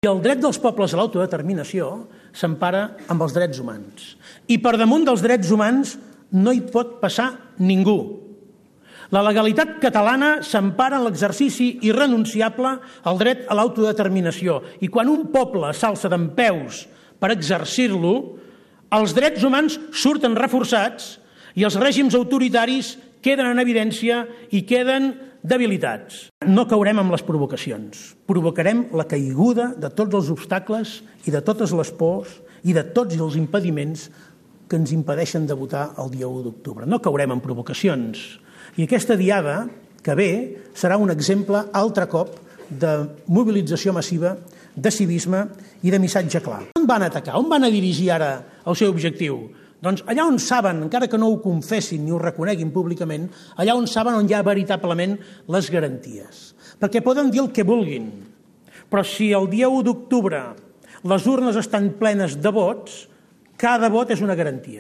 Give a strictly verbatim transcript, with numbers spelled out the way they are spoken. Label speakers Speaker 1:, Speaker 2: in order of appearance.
Speaker 1: I el dret dels pobles a l'autodeterminació s'empara amb els drets humans. I per damunt dels drets humans no hi pot passar ningú. La legalitat catalana s'empara en l'exercici irrenunciable al dret a l'autodeterminació. I quan un poble s'alça dempeus per exercir-lo, els drets humans surten reforçats i els règims autoritaris queden en evidència i queden debilitats. No caurem amb les provocacions. Provocarem la caiguda de tots els obstacles i de totes les pors i de tots els impediments que ens impedeixen de votar el dia u d'octubre. No caurem en provocacions. I aquesta diada que ve serà un exemple altre cop de mobilització massiva, de civisme i de missatge clar. On van atacar? On van a dirigir ara el seu objectiu? Doncs allà on saben, encara que no ho confessin ni ho reconeguin públicament, allà on saben on hi ha veritablement les garanties. Perquè poden dir el que vulguin, però si el dia u d'octubre les urnes estan plenes de vots, cada vot és una garantia.